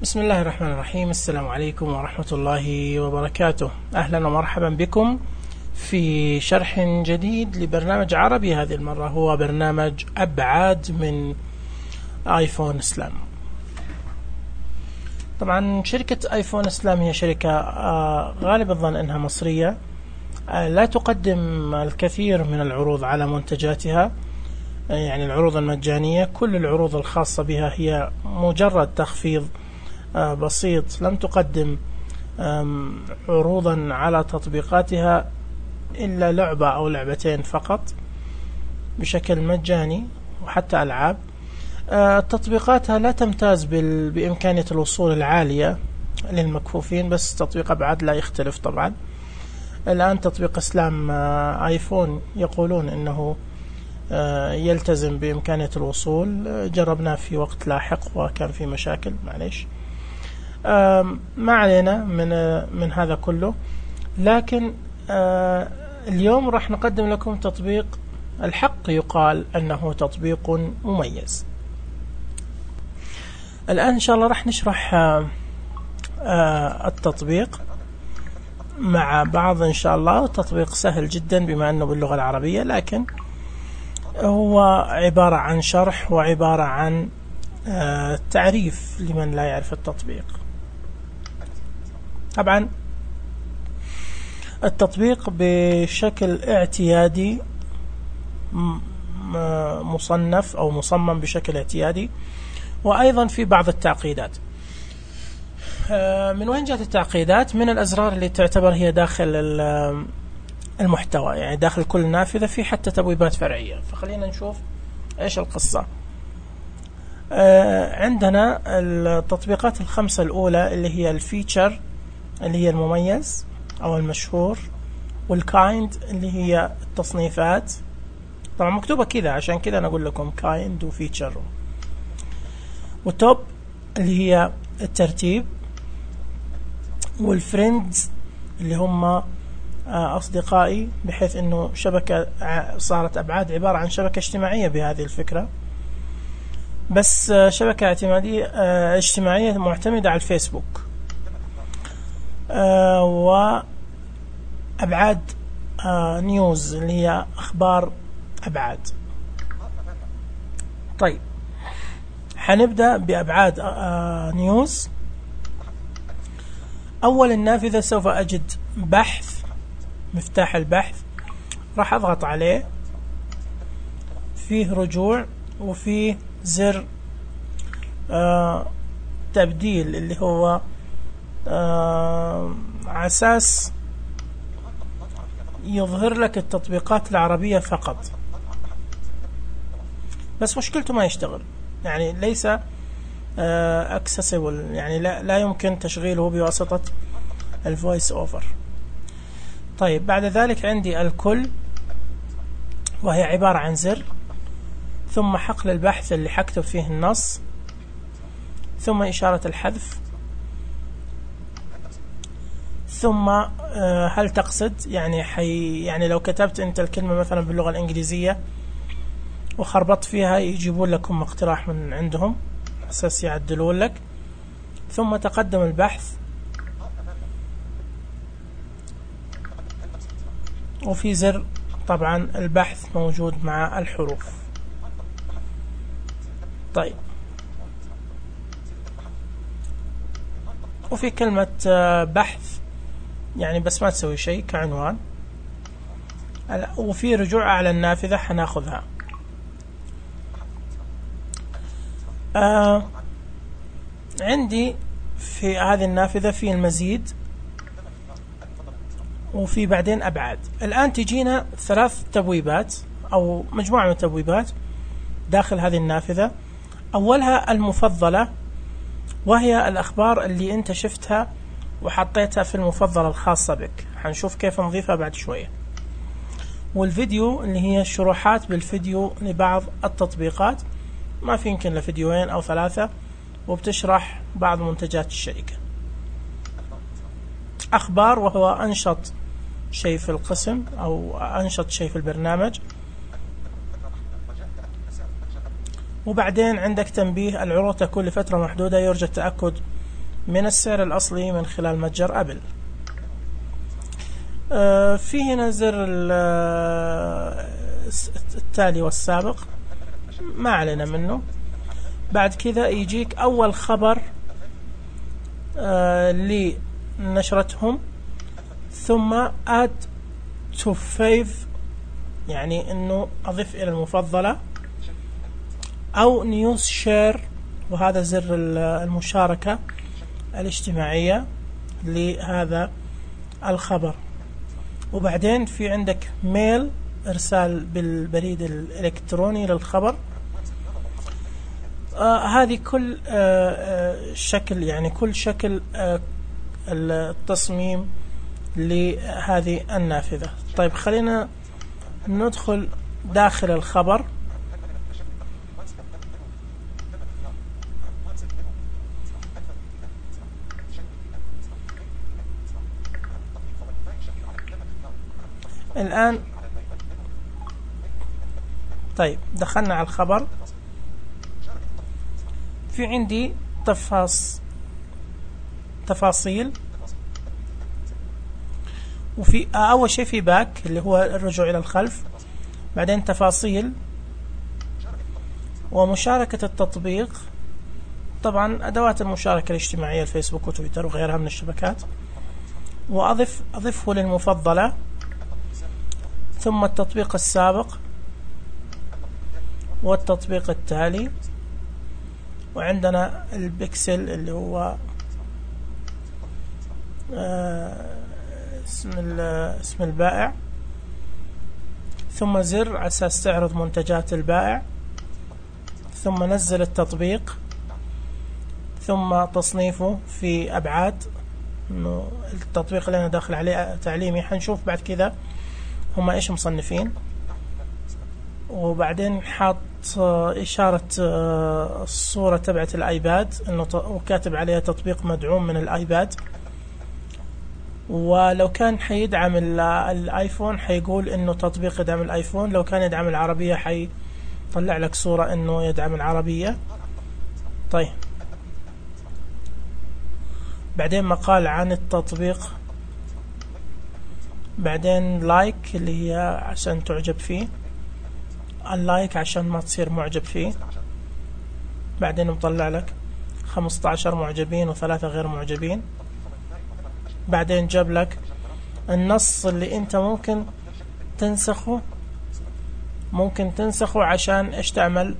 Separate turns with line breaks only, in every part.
بسم الله الرحمن الرحيم. السلام عليكم ورحمة الله وبركاته. أهلا ومرحبا بكم في شرح جديد لبرنامج عربي. هذه المرة هو برنامج أبعاد من آيفون إسلام. طبعا شركة آيفون إسلام هي شركة غالب الظن أنها مصرية، لا تقدم الكثير من العروض على منتجاتها، يعني العروض المجانية. كل العروض الخاصة بها هي مجرد تخفيض بسيط. لم تقدم عروضا على تطبيقاتها إلا لعبة أو لعبتين فقط بشكل مجاني، وحتى ألعاب. تطبيقاتها لا تمتاز بإمكانية الوصول العالية للمكفوفين، بس تطبيق أبعاد لا يختلف. طبعا الآن تطبيق إسلام آيفون يقولون أنه يلتزم بإمكانية الوصول. جربناه في وقت لاحق وكان في مشاكل، معليش، ما علينا من هذا كله. لكن اليوم راح نقدم لكم تطبيق الحق يقال أنه تطبيق مميز. الآن إن شاء الله راح نشرح التطبيق مع بعض إن شاء الله. تطبيق سهل جدا بما أنه باللغة العربية، لكن هو عبارة عن شرح وعبارة عن تعريف لمن لا يعرف التطبيق. طبعا التطبيق بشكل اعتيادي مصنف أو مصمم بشكل اعتيادي، وأيضا في بعض التعقيدات. من وين جاءت التعقيدات؟ من الأزرار اللي تعتبر هي داخل المحتوى، يعني داخل كل نافذة في حتى تبويبات فرعية. فخلينا نشوف إيش القصة. عندنا التطبيقات الخمسة الأولى اللي هي الفيتشر اللي هي المميز أو المشهور، والكايند اللي هي التصنيفات. طبعا مكتوبة كذا عشان كذا أنا أقول لكم كايند وفيتشر. والتوب اللي هي الترتيب، والفريندز اللي هم أصدقائي، بحيث أنه شبكة صارت أبعاد عبارة عن شبكة اجتماعية بهذه الفكرة، بس شبكة اجتماعية معتمدة على الفيسبوك. وأبعاد نيوز اللي هي أخبار أبعاد. طيب حنبدأ بأبعاد نيوز. أول النافذة سوف أجد بحث، مفتاح البحث، راح أضغط عليه، فيه رجوع وفيه زر تبديل اللي هو عساس يظهر لك التطبيقات العربية فقط، بس مشكلته ما يشتغل، يعني ليس accessible، يعني لا يمكن تشغيله بواسطة الفويس اوفر. طيب بعد ذلك عندي الكل، وهي عبارة عن زر، ثم حقل البحث اللي حكتب فيه النص، ثم إشارة الحذف، ثم هل تقصد، يعني لو كتبت أنت الكلمة مثلا باللغة الإنجليزية وخربطت فيها يجيبون لكم اقتراح من عندهم أساس يعدلون لك. ثم تقدم البحث، وفي زر طبعا البحث موجود مع الحروف. طيب وفي كلمة بحث، يعني بس ما تسوي شيء كعنوان. وفي رجوع على النافذة حناخذها. عندي في هذه النافذة في المزيد، وفي بعدين أبعاد. الآن تجينا 3 تبويبات أو مجموعة من التبويبات داخل هذه النافذة. أولها المفضلة، وهي الأخبار اللي أنت شفتها وحطيتها في المفضلة الخاصة بك، حنشوف كيف نضيفها بعد شوية. والفيديو اللي هي الشروحات بالفيديو لبعض التطبيقات، ما في يمكن لفيديوين أو 3، وبتشرح بعض منتجات الشركة. أخبار، وهو أنشط شيء في القسم أو أنشط شيء في البرنامج. وبعدين عندك تنبيه: العروض تكون لفترة محدودة، يرجى التأكد من السعر الأصلي من خلال متجر أبل. في هنا زر التالي والسابق، ما علينا منه. بعد كذا يجيك أول خبر لنشرتهم، ثم add to fave، يعني انه اضف الى المفضلة، او news share، وهذا زر المشاركة الاجتماعية لهذا الخبر. وبعدين في عندك ميل، ارسال بالبريد الالكتروني للخبر. هذه كل شكل، يعني كل شكل التصميم لهذه النافذة. طيب خلينا ندخل داخل الخبر. الآن طيب دخلنا على الخبر. في عندي تفاصيل، وفي أول شيء في باك اللي هو الرجوع إلى الخلف، بعدين تفاصيل ومشاركة التطبيق. طبعا أدوات المشاركة الاجتماعية، الفيسبوك وتويتر وغيرها من الشبكات، وأضفه للمفضلة، ثم التطبيق السابق والتطبيق التالي، وعندنا البكسل اللي هو اسم البائع، ثم زر على أساس تعرض منتجات البائع، ثم نزل التطبيق، ثم تصنيفه في أبعاد، إنه التطبيق اللي أنا داخل عليه تعليمي. حنشوف بعد كذا هم إيش مصنفين. وبعدين حاط إشارة الصورة تبعت الآيباد، إنه وكاتب عليها تطبيق مدعوم من الآيباد. ولو كان حيدعم الآيفون حيقول إنه تطبيق يدعم الآيفون، لو كان يدعم العربية حيطلع لك صورة إنه يدعم العربية. طيب بعدين مقال عن التطبيق، بعدين لايك اللي هي عشان تعجب فيه، اللايك عشان ما تصير معجب فيه. بعدين مطلع لك 15 معجبين و3 غير معجبين. بعدين جاب لك النص اللي انت ممكن تنسخه عشان ايش تعمل،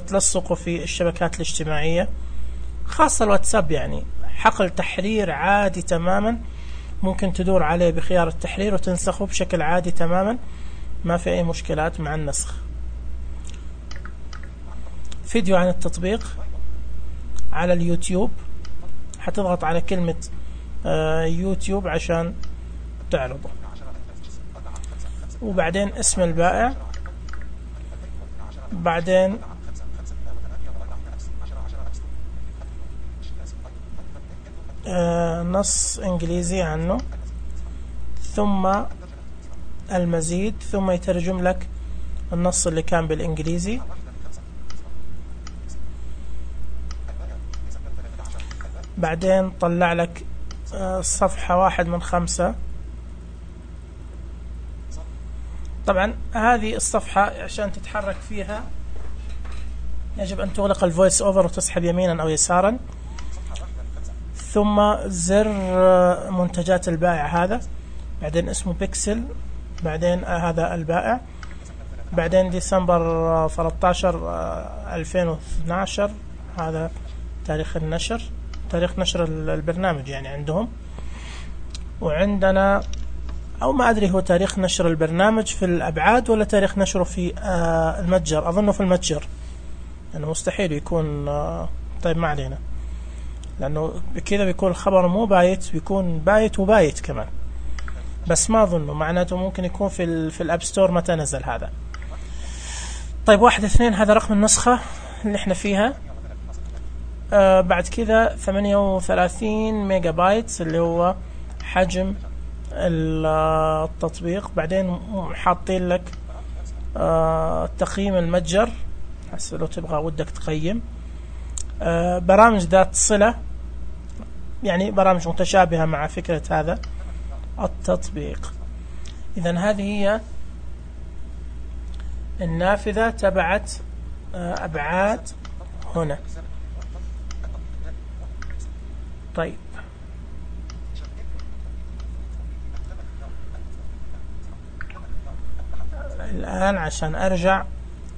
تلصقه في الشبكات الاجتماعية، خاصة الواتساب. يعني حقل تحرير عادي تماما، ممكن تدور عليه بخيار التحرير وتنسخه بشكل عادي تماما، ما في اي مشكلات مع النسخ. فيديو عن التطبيق على اليوتيوب، حتضغط على كلمة يوتيوب عشان تعرضه. وبعدين اسم البائع، بعدين نص انجليزي عنه، ثم المزيد، ثم يترجم لك النص اللي كان بالانجليزي. بعدين طلع لك صفحة 1 من 5. طبعا هذه الصفحة عشان تتحرك فيها يجب أن تغلق الفويس أوفر وتسحب يمينا أو يسارا، ثم زر منتجات البائع هذا، بعدين اسمه بيكسل، بعدين هذا البائع، بعدين ديسمبر 13 2012 هذا تاريخ النشر، تاريخ نشر البرنامج يعني عندهم. وعندنا أو ما أدري هو تاريخ نشر البرنامج في الأبعاد ولا تاريخ نشره في المتجر، أظنه في المتجر، يعني مستحيل يكون. طيب ما علينا، لأنه بكذا بيكون الخبر مو بايت، بيكون بايت وبايت كمان، بس ما أظنه، معناته ممكن يكون في الأب ستور متى نزل هذا. طيب 1 2 هذا رقم النسخة اللي احنا فيها. بعد كذا 38 ميجا بايت اللي هو حجم التطبيق. بعدين حاطين لك تقييم المتجر، لو تبغى ودك تقيم. برامج ذات صلة يعني برامج متشابهة مع فكرة هذا التطبيق. إذن هذه هي النافذة تبعت أبعاد هنا. طيب الآن عشان أرجع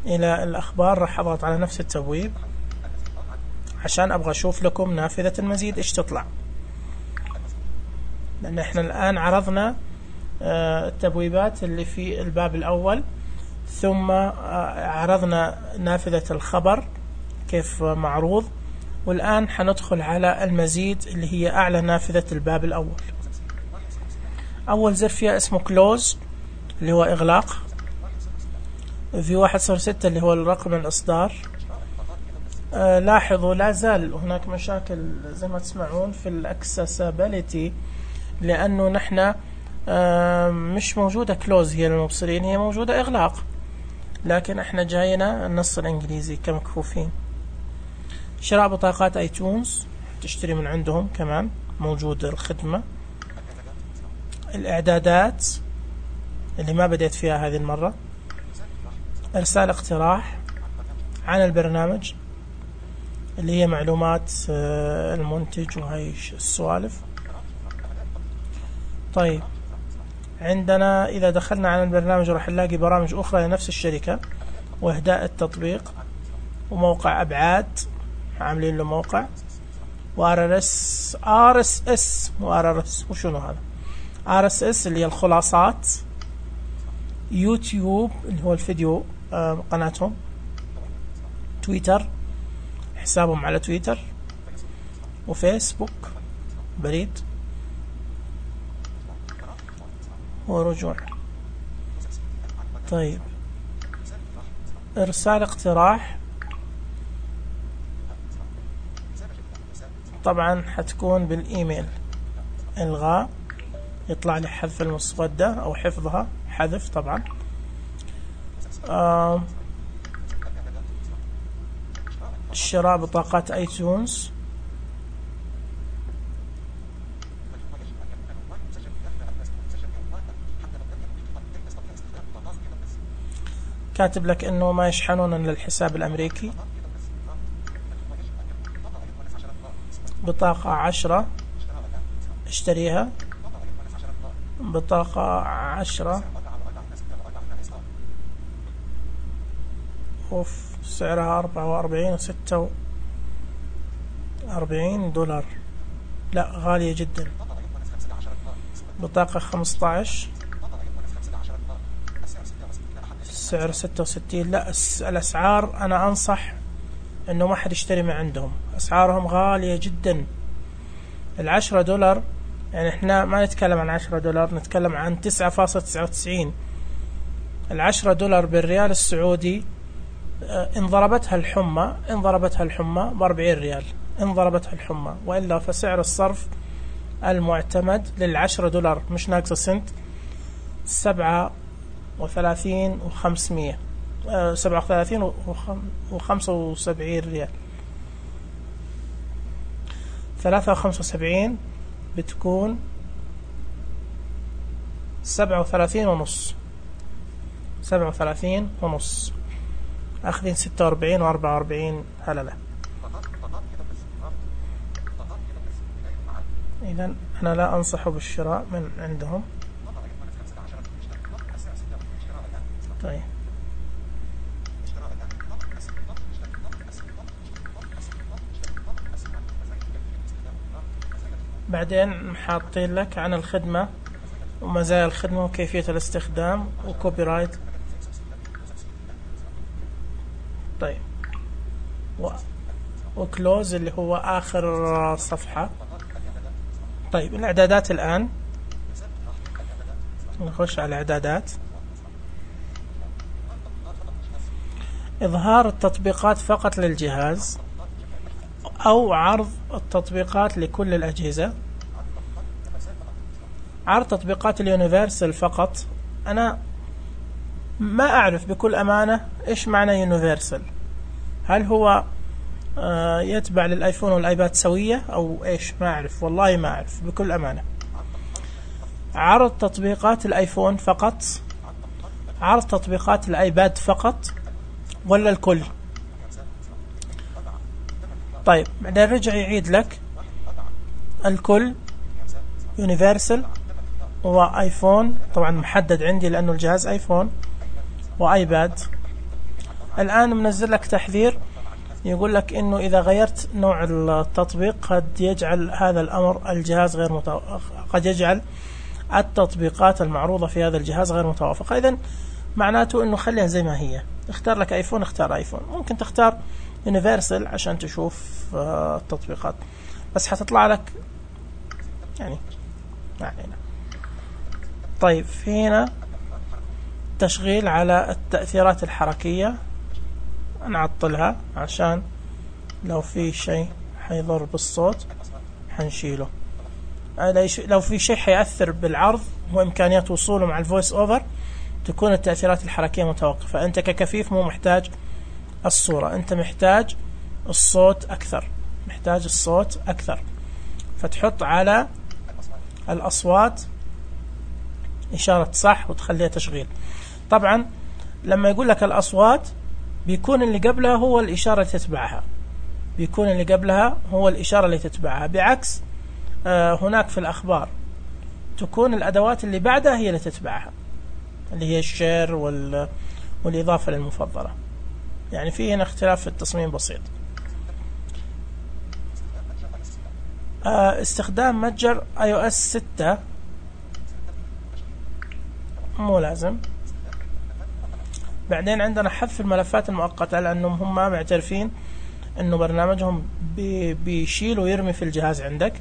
إلى الأخبار راح أضغط على نفس التبويب عشان أبغى أشوف لكم نافذة المزيد إيش تطلع، لأن إحنا الآن عرضنا التبويبات اللي في الباب الأول، ثم عرضنا نافذة الخبر كيف معروض، والآن حندخل على المزيد اللي هي أعلى نافذة الباب الأول. أول زر فيها اسمه كلوز اللي هو إغلاق، في 106 اللي هو الرقم الإصدار. لاحظوا لا زال هناك مشاكل زي ما تسمعون في الأكسسابيليتي، لأنه نحن مش موجودة كلوز هي للمبصرين، هي موجودة إغلاق، لكن احنا جاينا النص الإنجليزي كمكفوفين. شراء بطاقات ايتونز تشتري من عندهم كمان موجود الخدمة. الإعدادات اللي ما بديت فيها هذه المرة. إرسال اقتراح عن البرنامج اللي هي معلومات المنتج وهي السوالف. طيب عندنا إذا دخلنا على البرنامج راح نلاقي برامج أخرى لنفس الشركة، وإهداء التطبيق، وموقع أبعاد عاملين له موقع، RSS وشنو هذا RSS اللي هي الخلاصات، يوتيوب اللي هو الفيديو قناتهم، تويتر حسابهم على تويتر، وفيسبوك بريد ورجوع. طيب إرسال اقتراح طبعا حتكون بالإيميل، إلغاء يطلع لي حذف المسودة أو حفظها، حذف طبعا. شراء بطاقات ايتونز، كاتب لك انه ما يشحنون للحساب الامريكي. بطاقة 10 اشتريها، بطاقة 10 سعرها 44 $46، لا غالية جدا. بطاقة 15 سعر 66، لا الأسعار أنا أنصح أنه ما حد يشتري من عندهم، أسعارهم غالية جدا. $10 يعني إحنا ما نتكلم عن $10، نتكلم عن 9.99. $10 بالريال السعودي إن ضربتها الحمى ب40 ريال، إن ضربتها الحمى، وإلا فسعر الصرف المعتمد $10 مش ناقصة سنت 37.500 37.75 ريال. 3.75 بتكون 37.5، أخذين 46 و44 هللة. إذن أنا لا أنصح بالشراء من عندهم. طيب بعدين حاطين لك عن الخدمة ومزايا الخدمة وكيفية الاستخدام وكوبي رايت. طيب وكلوز اللي هو آخر صفحة. طيب الإعدادات الآن نخش على الإعدادات. إظهار التطبيقات فقط للجهاز أو عرض التطبيقات لكل الأجهزة. عرض تطبيقات اليونيفرسال فقط. أنا ما أعرف بكل أمانة إيش معنى يونيفرسال، هل هو يتبع للآيفون والآيباد سوية أو إيش؟ ما أعرف والله، ما أعرف بكل أمانة. عرض تطبيقات الآيفون فقط، عرض تطبيقات الآيباد فقط، ولا الكل؟ طيب بعدين رجع يعيد لك الكل، يونيفرسال وآيفون، طبعا محدد عندي لأنه الجهاز آيفون، وآيباد. الآن منزل لك تحذير يقول لك إنه إذا غيرت نوع التطبيق قد يجعل هذا الأمر الجهاز غير قد يجعل التطبيقات المعروضة في هذا الجهاز غير متوافقة. إذن معناته إنه خليها زي ما هي، اختار لك آيفون اختار آيفون، ممكن تختار يونيفرسال عشان تشوف التطبيقات، بس حتطلع لك يعني ما علينا. طيب في هنا تشغيل على التأثيرات الحركية، نعطلها عشان لو في شيء حيضر بالصوت حنشيله. لو في شيء حيأثر بالعرض وإمكانيات وصوله مع الفويس أوفر تكون التأثيرات الحركية متوقفة. أنت ككفيف مو محتاج الصورة، أنت محتاج الصوت أكثر، محتاج الصوت أكثر، فتحط على الأصوات إشارة صح وتخليها تشغيل. طبعا لما يقول لك الأصوات بيكون اللي قبلها هو الإشارة اللي تتبعها، بيكون اللي قبلها هو الإشارة اللي تتبعها، بعكس هناك في الأخبار تكون الأدوات اللي بعدها هي اللي تتبعها، اللي هي الشير والإضافة للمفضلة. يعني في هنا اختلاف في التصميم بسيط. استخدام متجر iOS 6 مو لازم. بعدين عندنا حذف الملفات المؤقتة، لأنهم هم معترفين أنه برنامجهم بيشيل ويرمي في الجهاز عندك،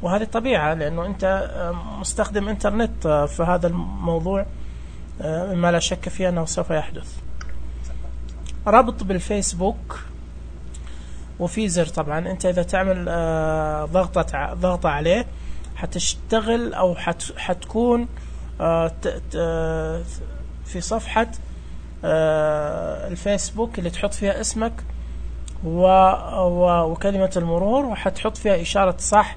وهذه طبيعة لأنه أنت مستخدم إنترنت، فهذا الموضوع ما لا شك فيه أنه سوف يحدث. ربط بالفيسبوك وفي زر، طبعا أنت إذا تعمل ضغطة عليه حتشتغل أو حتكون في صفحة الفيسبوك اللي تحط فيها اسمك وكلمة المرور، وحتحط فيها إشارة صح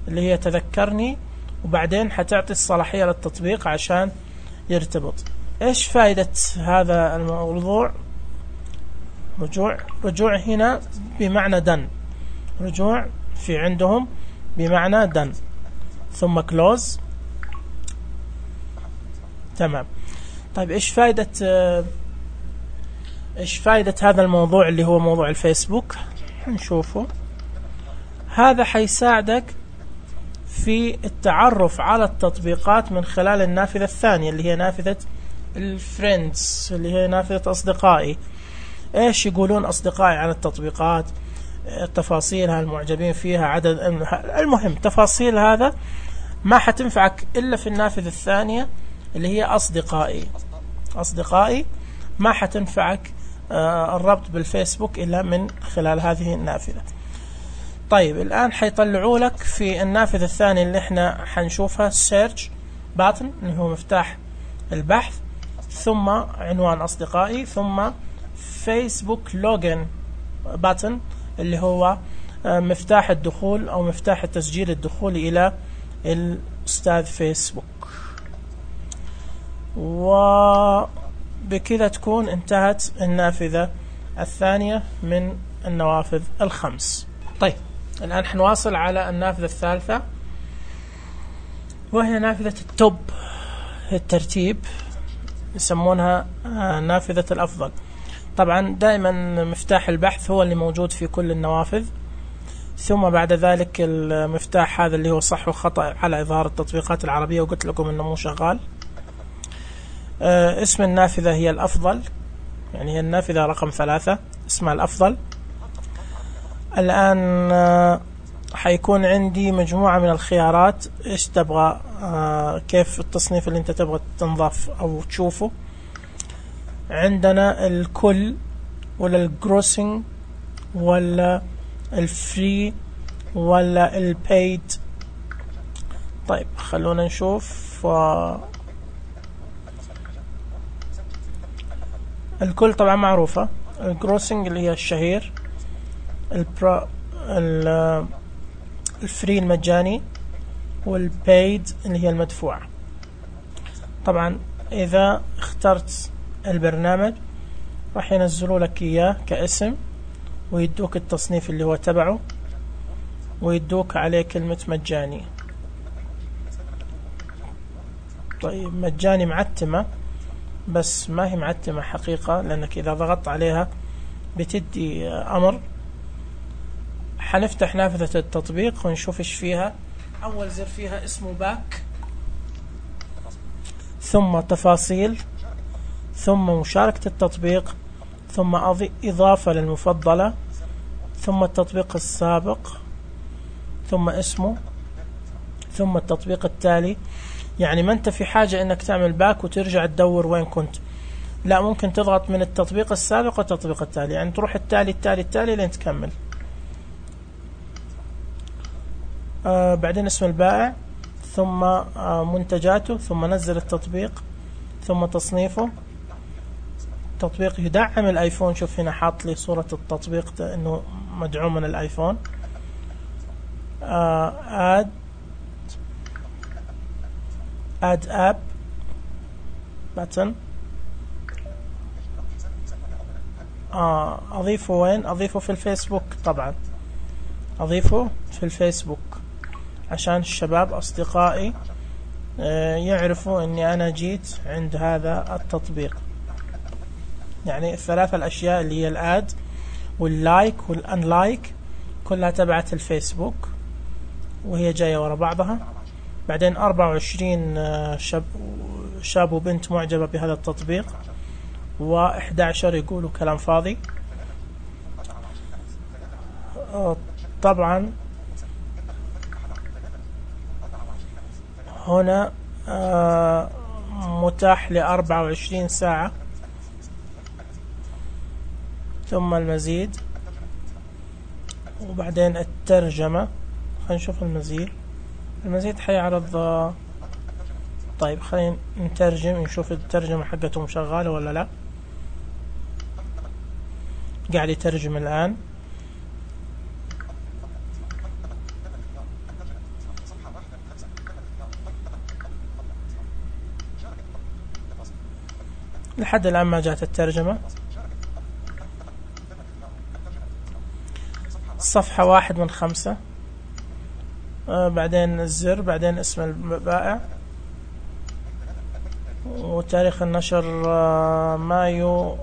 اللي هي تذكرني، وبعدين حتعطي الصلاحية للتطبيق عشان يرتبط. إيش فائدة هذا الموضوع؟ رجوع هنا بمعنى done، رجوع في عندهم بمعنى done، ثم close. تمام. طيب إيش فائدة هذا الموضوع اللي هو موضوع الفيسبوك؟ نشوفه. هذا حيساعدك في التعرف على التطبيقات من خلال النافذة الثانية اللي هي نافذة الفريندز، اللي هي نافذة أصدقائي. إيش يقولون أصدقائي عن التطبيقات، تفاصيلها، المعجبين فيها، عدد، المهم تفاصيل هذا ما حتنفعك إلا في النافذة الثانية اللي هي أصدقائي. ما حتنفعك الربط بالفيسبوك إلا من خلال هذه النافذة. طيب الآن حيطلعوا لك في النافذة الثانية اللي احنا حنشوفها search button اللي هو مفتاح البحث، ثم عنوان أصدقائي، ثم فيسبوك login button اللي هو مفتاح الدخول أو مفتاح التسجيل الدخول إلى الأستاذ فيسبوك. وبكذا تكون انتهت النافذة الثانية من النوافذ الخمس. طيب الآن حنواصل على النافذة الثالثة، وهي نافذة التوب، الترتيب، يسمونها نافذة الأفضل. طبعا دائما مفتاح البحث هو اللي موجود في كل النوافذ، ثم بعد ذلك المفتاح هذا اللي هو صح وخطأ على إظهار التطبيقات العربية، وقلت لكم إنه مو شغال. اسم النافذة هي الأفضل، يعني هي النافذة رقم 3 اسمها الأفضل. الآن حيكون عندي مجموعة من الخيارات، إيش تبغى، كيف التصنيف اللي أنت تبغى تنضاف أو تشوفه. عندنا الكل ولا الجروسنج ولا الفري ولا البيد. طيب خلونا نشوف. الكل طبعا معروفة، الجروسنج اللي هي الشهير، الفري المجاني والبايد اللي هي المدفوعة. طبعا إذا اخترت البرنامج راح ينزلوا لك إياه كاسم ويدوك التصنيف اللي هو تبعه ويدوك عليه كلمة مجاني. طيب مجاني معتمة، بس ما هي معتمة حقيقة، لأنك إذا ضغطت عليها بتدي أمر. حنفتح نافذة التطبيق ونشوف إيش فيها. أول زر فيها اسمه باك، ثم تفاصيل، ثم مشاركة التطبيق، ثم إضافة للمفضلة، ثم التطبيق السابق، ثم اسمه، ثم التطبيق التالي. يعني ما أنت في حاجة إنك تعمل باك وترجع تدور وين كنت، لا، ممكن تضغط من التطبيق السابق والتطبيق التالي، يعني تروح التالي التالي التالي لين تكمل. بعدين اسم البائع، ثم منتجاته، ثم نزل التطبيق، ثم تصنيفه. تطبيق يدعم الايفون، شوف هنا حاط لي صورة التطبيق انه مدعوم من الايفون. اد اب باتن. اضيفه وين؟ اضيفه في الفيسبوك. طبعا اضيفه في الفيسبوك عشان الشباب اصدقائي يعرفوا اني انا جيت عند هذا التطبيق. يعني الثلاثة الاشياء اللي هي الاد واللايك والانلايك كلها تبعت الفيسبوك وهي جاية ورا بعضها. بعدين 24 شاب وبنت معجبة بهذا التطبيق، و11 يقولوا كلام فاضي. طبعا هنا متاح ل24 ساعة. ثم المزيد، وبعدين الترجمة. خلينا نشوف المزيد. المزيد حيعرض. طيب خلينا نترجم، نشوف الترجمة حقتهم شغالة ولا لا. قاعد يترجم الآن. لحد الآن ما جاءت الترجمة. صفحة 1 من 5. بعدين الزر، بعدين اسم البائع، وتاريخ النشر مايو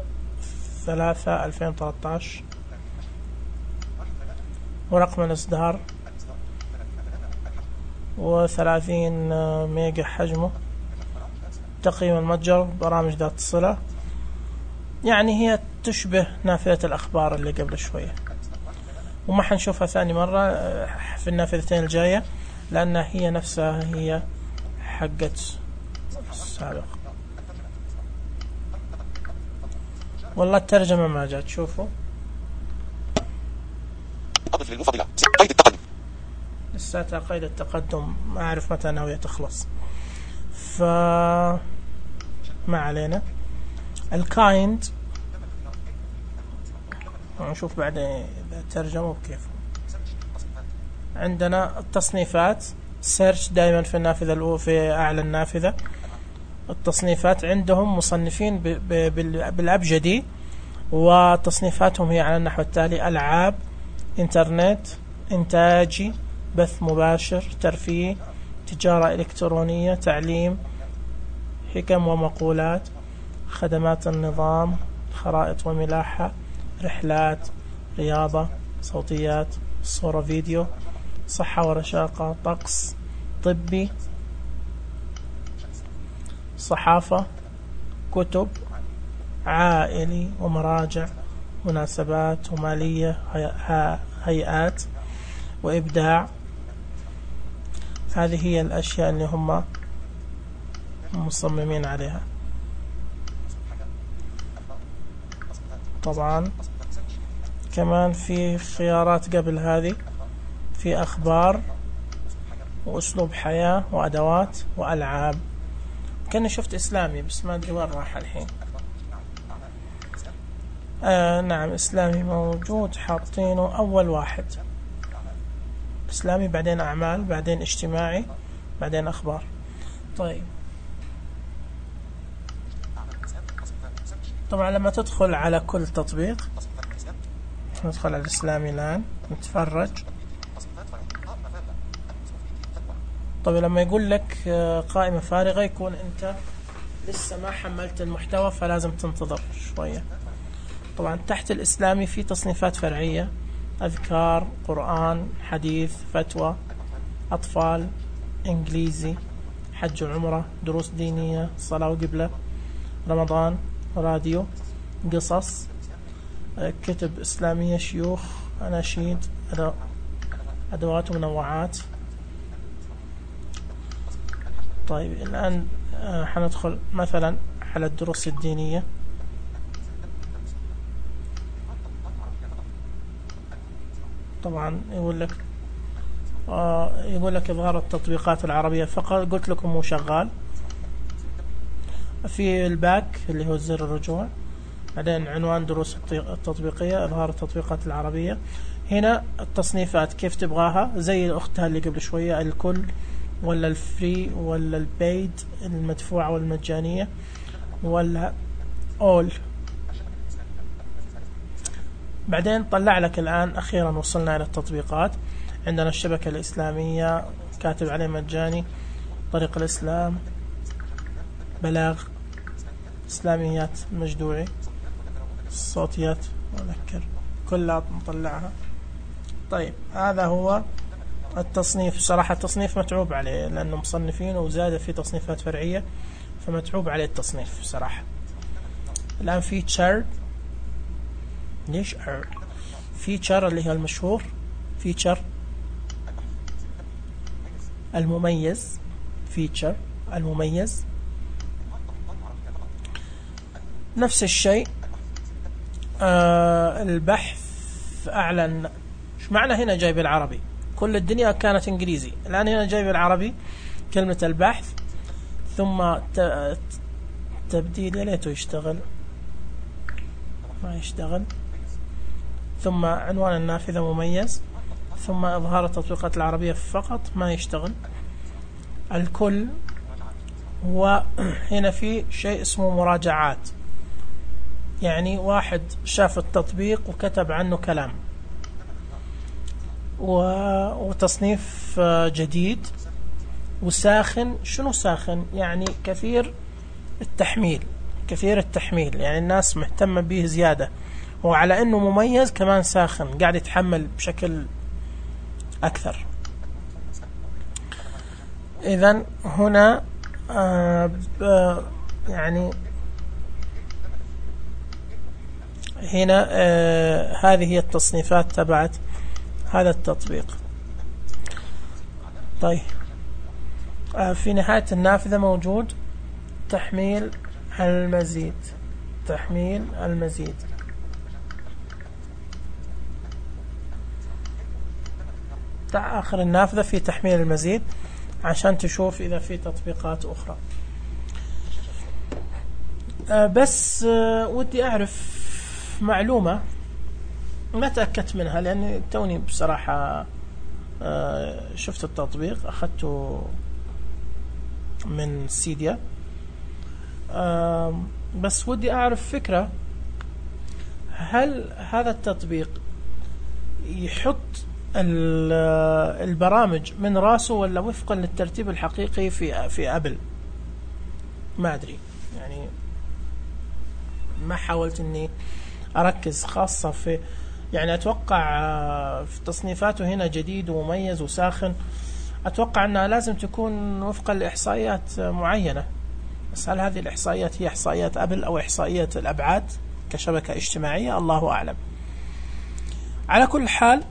3 2013، ورقم الإصدار، و30 ميجا حجمه. تقييم المتجر، برامج ذات الصلة. يعني هي تشبه نافذة الأخبار اللي قبل شوية، وما حنشوفها ثاني مرة في النافذتين الجاية لأنها هي نفسها هي حقت السابق. والله الترجمة ما جات. شوفوا قيد التقدم، لساتها قيد التقدم، ما أعرف متى ناوية تخلص، فما علينا. الكايند نشوف بعدين إذا ترجموا بكيف. عندنا التصنيفات، سيرش دائما في النافذة الأولى، في أعلى النافذة التصنيفات. عندهم مصنفين بالأبجدي، وتصنيفاتهم هي على النحو التالي: ألعاب، إنترنت، إنتاجي، بث مباشر، ترفيه، تجارة إلكترونية، تعليم، حكم ومقولات، خدمات النظام، خرائط وملاحة، رحلات، رياضة، صوتيات، صورة فيديو، صحة ورشاقة، طقس، طبي، صحافة، كتب، عائلي ومراجع، مناسبات ومالية، هيئات وإبداع. هذه هي الأشياء اللي هم مصممين عليها. طبعا كمان في خيارات قبل هذه، في أخبار وأسلوب حياة وأدوات وألعاب. كأني شفت إسلامي بس ما أدري وين راح الحين. نعم إسلامي موجود، حاطينه أول واحد إسلامي، بعدين أعمال، بعدين اجتماعي، بعدين أخبار. طيب طبعا لما تدخل على كل تطبيق، ندخل على الإسلامي الآن نتفرج. طيب لما يقول لك قائمة فارغة يكون أنت لسه ما حملت المحتوى، فلازم تنتظر شوية. طبعا تحت الإسلامي في تصنيفات فرعية: أذكار، قرآن، حديث، فتوى، أطفال، إنجليزي، حج وعمرة، دروس دينية، صلاة وقبلة، رمضان، راديو، قصص، كتب إسلامية، شيوخ، أناشيد، أدوات ومنوعات. طيب الآن حندخل مثلا على الدروس الدينية. طبعا يقول لك إظهار التطبيقات العربية فقط، قلت لكم مو شغال. في الباك اللي هو زر الرجوع، بعدين عنوان دروس التطبيقية، إظهار التطبيقات العربية. هنا التصنيفات كيف تبغاها، زي أختها اللي قبل شوية، الكل ولا الفري ولا البيد، المدفوعة والمجانية، ولا أول. بعدين طلع لك الآن أخيرا وصلنا إلى التطبيقات. عندنا الشبكة الإسلامية كاتب عليه مجاني، طريق الإسلام، بلاغ، إسلاميات مجدوعي، الصوتيات مذكر، كلها مطلعها. طيب هذا هو التصنيف. صراحة التصنيف متعوب عليه لأنه مصنفين وزاد في تصنيفات فرعية، فمتعوب عليه التصنيف صراحة. الآن فيتشر، ليش فيتشر اللي هي المشهور، فيتشر المميز، فيتشر المميز. نفس الشيء البحث أعلن. شو معنى هنا جايب العربي؟ كل الدنيا كانت إنجليزي، الآن هنا جايب العربي، كلمة البحث، ثم تبديل، يا ليته يشتغل، ما يشتغل، ثم عنوان النافذة مميز، ثم إظهار التطبيقات العربية فقط، ما يشتغل. الكل، وهنا في شيء اسمه مراجعات، يعني واحد شاف التطبيق وكتب عنه كلام. وتصنيف جديد وساخن. شنو ساخن؟ يعني كثير التحميل، كثير التحميل، يعني الناس مهتمة به زيادة، وعلى أنه مميز كمان ساخن، قاعد يتحمل بشكل أكثر. إذن هنا يعني هنا هذه هي التصنيفات تبعت هذا التطبيق. طيب في نهاية النافذة موجود تحميل المزيد، تحميل المزيد. آخر النافذة في تحميل المزيد عشان تشوف إذا في تطبيقات أخرى. بس ودي أعرف معلومة ما تأكدت منها، لأني توني بصراحة شفت التطبيق، أخذته من سيديا، بس ودي أعرف فكرة. هل هذا التطبيق يحط البرامج من راسه ولا وفقا للترتيب الحقيقي في أبل؟ ما أدري، يعني ما حاولت أني أركز، خاصة في يعني أتوقع في تصنيفاته هنا جديد ومميز وساخن، أتوقع أنها لازم تكون وفقا لإحصائيات معينة. بس هل هذه الإحصائيات هي إحصائيات أبل أو إحصائيات الأبعاد كشبكة اجتماعية؟ الله أعلم. على كل حال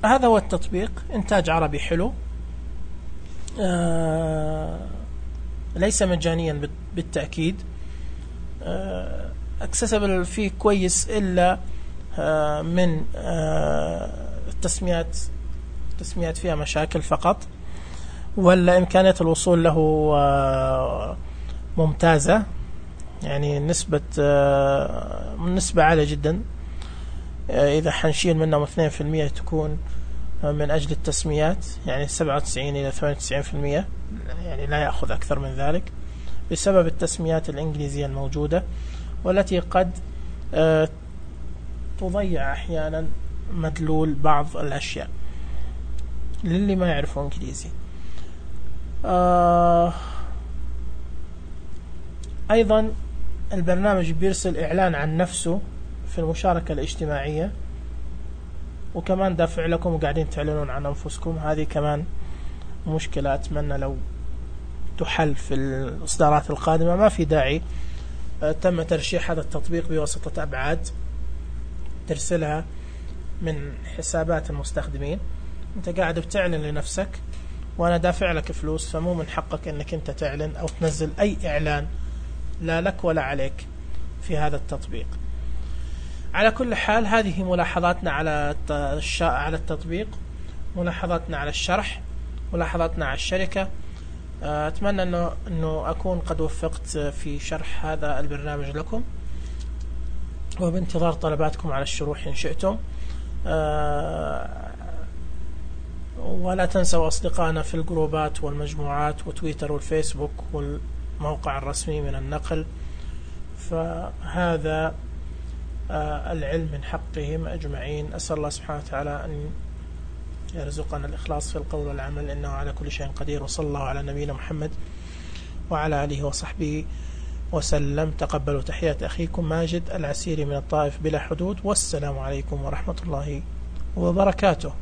هذا هو التطبيق، إنتاج عربي حلو، ليس مجانيا بالتأكيد، accessible فيه كويس، إلا من التسميات فيها مشاكل فقط، ولا إمكانية الوصول له ممتازة، يعني نسبة عالية جدا. إذا حنشيل منهم 2% تكون من أجل التسميات، يعني 97 إلى 98%، يعني لا يأخذ أكثر من ذلك بسبب التسميات الإنجليزية الموجودة، والتي قد تضيع أحيانا مدلول بعض الأشياء للي ما يعرفوا إنجليزي. أيضا البرنامج بيرسل إعلان عن نفسه في المشاركة الاجتماعية، وكمان دافع لكم وقاعدين تعلنون عن أنفسكم. هذه كمان مشكلة أتمنى لو تحل في الإصدارات القادمة. ما في داعي تم ترشيح هذا التطبيق بواسطة أبعاد ترسلها من حسابات المستخدمين. أنت قاعد بتعلن لنفسك وأنا دافع لك فلوس، فمو من حقك أنك أنت تعلن أو تنزل أي إعلان لا لك ولا عليك في هذا التطبيق. على كل حال، هذه ملاحظاتنا على التطبيق، ملاحظاتنا على الشرح، ملاحظاتنا على الشركة. أتمنى أنه أكون قد وفقت في شرح هذا البرنامج لكم، وبانتظار طلباتكم على الشروح إن شئتم. ولا تنسوا أصدقائنا في الجروبات والمجموعات وتويتر والفيسبوك والموقع الرسمي من النقل. فهذا العلم من حقهم أجمعين. أسأل الله سبحانه وتعالى أن يرزقنا الإخلاص في القول والعمل، إنه على كل شيء قدير. وصلى الله على نبينا محمد وعلى آله وصحبه وسلم. تقبلوا تحيات أخيكم ماجد العسيري من الطائف بلا حدود، والسلام عليكم ورحمة الله وبركاته.